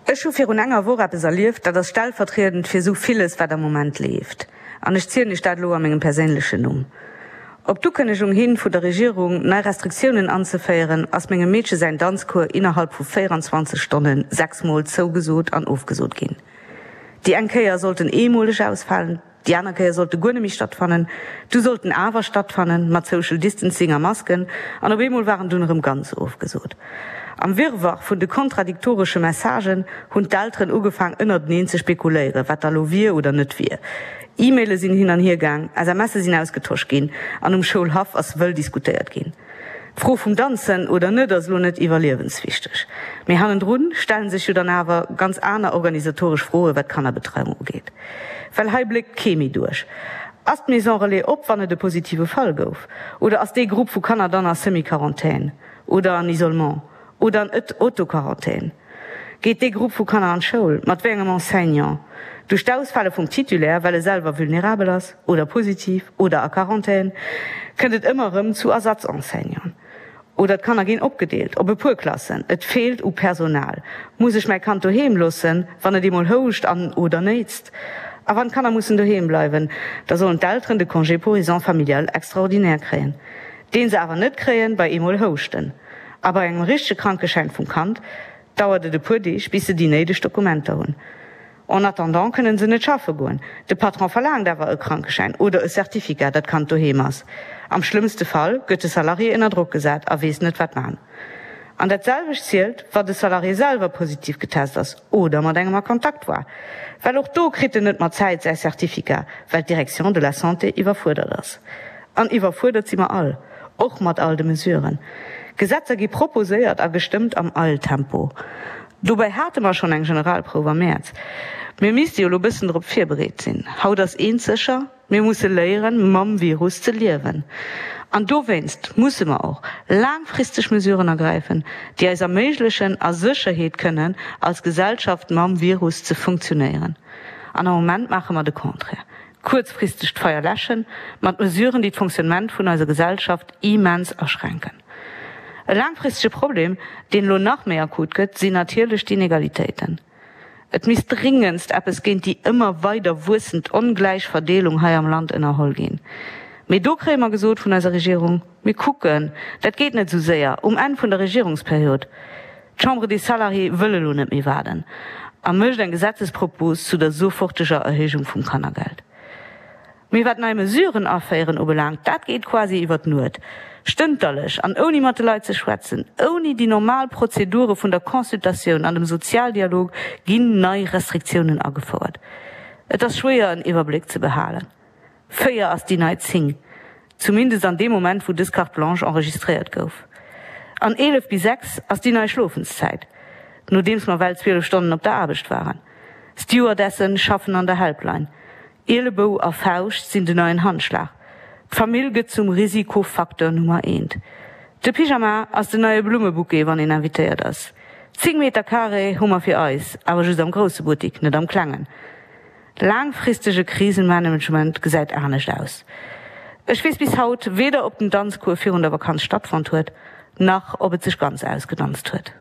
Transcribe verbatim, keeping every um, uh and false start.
Ech hu virun enger Woch eppes erlieft, dat ass stellvertriedend fir esou villes, wat am Moment leeft. An ech zielen iech dat elo a mengem perséinlechen Numm. Op d'Ukënnegung hin vu der Regierung, nei Restriktiounen anzeféieren, ass mengem Meedche säin Danzcours innerhalb vu véieranzwanzeg Stonne sechs Mol zougesot an ofgesot ginn. Déi eng Kéier sollt en eemoleg ausfalen, déi aner Kéier sollt e guer net méi stattfannen, du sollt en awer stattfannen, mat Social Distancing a Masken, an op eemol war en dunn erëm ganz ofgesot. Am Wirrwarr vun de kontradiktoresche Messagen hunn d'Elteren ugefaang ënnerteneen ze spekuléieren, wat da lo wier oder net wier. E-Maile sinn hin an hier gaang, S M Se sinn ausgetosch ginn an um Schoulhaff ass wëll diskutéiert ginn. D'Fro vum Danzen oder net ass elo net iwwerliewenswichteg, mee hannendrun stellen sech jo dann awer ganz aner organisatoresch Froe wat d'Kannerbetreiung ugeet. Well hei bléckt kee méi duerch. Ass d'Maison Relais op, wann et e positive Fall gouf? Oder ass dee Grupp vu Kanner dann a Semi-Quarantän? Oder an Isolement? Oder an Auto-Quarantän? Geet dee Grupp vu Kanner an d'Schoul? Mat wéi engem Enseignant? Duerch d'Ausfale vum Titulaire, well e selwer vulnerabel ass oder positiv oder a Quarantän, kënnt et ëmmer erëm zu Ersatz-Enseignanten. Oder d'Kanner ginn opgedeelt op e puer Klassen. Et feelt u Personal. Muss ech mäi Kand doheem loossen, wann et eemol houscht an oder néitst? A wann d'Kanner mussen doheem bleiwen, da sollen d'Elteren de Congé pour raisons familiales extraordinaire kréien, deen se awer net kréien bei eemol houschten. A bei engem richtege Krankeschäin vum Kand dauert et e puer Deeg, bis se déi néideg Dokumenter hunn. En attendant kënnen se net schaffe goen. De Patron verlaangt awer e Krankeschäin oder e Certificat, dat d'Kand doheem ass. Am schlëmmste Fall gëtt de Salarié ënner Drock gesat a weess net, wat man. An dat selwecht zielt, wa de Salarié selwer positiv getest ass oder mat engem a Kontakt war. Well och do kritt en net mat Zäit säi Certificat, well d'Direction de la Santé iwwerfuerdert ass. An iwwerfuerdert si mer all, och mat all de Mesuren. Gesetzer gi proposéiert a gestëmmt am Eiltempo. Dobäi hate mer schonn eng Generalprouf am Mäerz. Mir misste jo elo bëssen drop virbereet sinn. Haut ass eent sécher, Mir musse léieren, mam Virus ze liewen. An dowéinst musse mer och laangfristeg Mesuren ergräifen, déi eis erméiglechen, a Sécherheet kënnen als Gesellschaft mam Virus ze funktionéieren. An am Moment maache mer de Contraire, kuerzfristeg d'Feier läschen, mat Mesuren, déi d'Fonctionnement vun eiser Gesellschaft immens aschränken. E laangfristege Problem, deen elo nach méi akut gëtt, sinn natierlech d'Inegalitéiten. Et misst dringendst eppes géint déi ëmmer weider wuessend ongläich Verdeelung hei am Land ënnerholl ginn. Mee do kréie mer gesot vun eiser Regierung, Mir kucken, dat geet net esou séier, um Enn vun der Regierungsperiod. D'Chambre des Salariés wëll elo net méi waarden a mécht eng Gesetzespropos zu der soforteger Erhéijung vum Kannergeld. Mee wat nei Mesuren aféieren ubelaangt, dat geet quasi iwwer d'Nuet, stënterlech an ouni mat de Leit ze schwätzen, ouni déi normal Prozedure vun der Consultatioun an dem Sozialdialog ginn nei Restriktiounen agefouert. Et ass schwéier en Iwwerbléck ze behalen. Véier ass déi nei zéng, zumindest an deem Moment wou dës Carte blanche enregistréiert gouf. An eelef bis sechs ass déi nei Schlofenszäit, nodeems mer well zwielef Stonnen op der Aarbecht waren. Stewardessen schaffen an der Helpline. Ielebou a Fauscht sinn den neien Handschlag. D'Famill gëtt zum Risikofacteur Nummer eent. De Pyjama ass den neie Blummebouquet, wann een invitéiert ass. Zéng Meter Carré hu mer fir eis, awer just am grousse Buttik, net am klengen. Laangfristege Krisenmanagement gesäit anescht aus. Ech weess bis haut weder ob den Danzcours virun der Vakanz stattfonnt huet, nach ob et sech ganz ausgedanzt huet.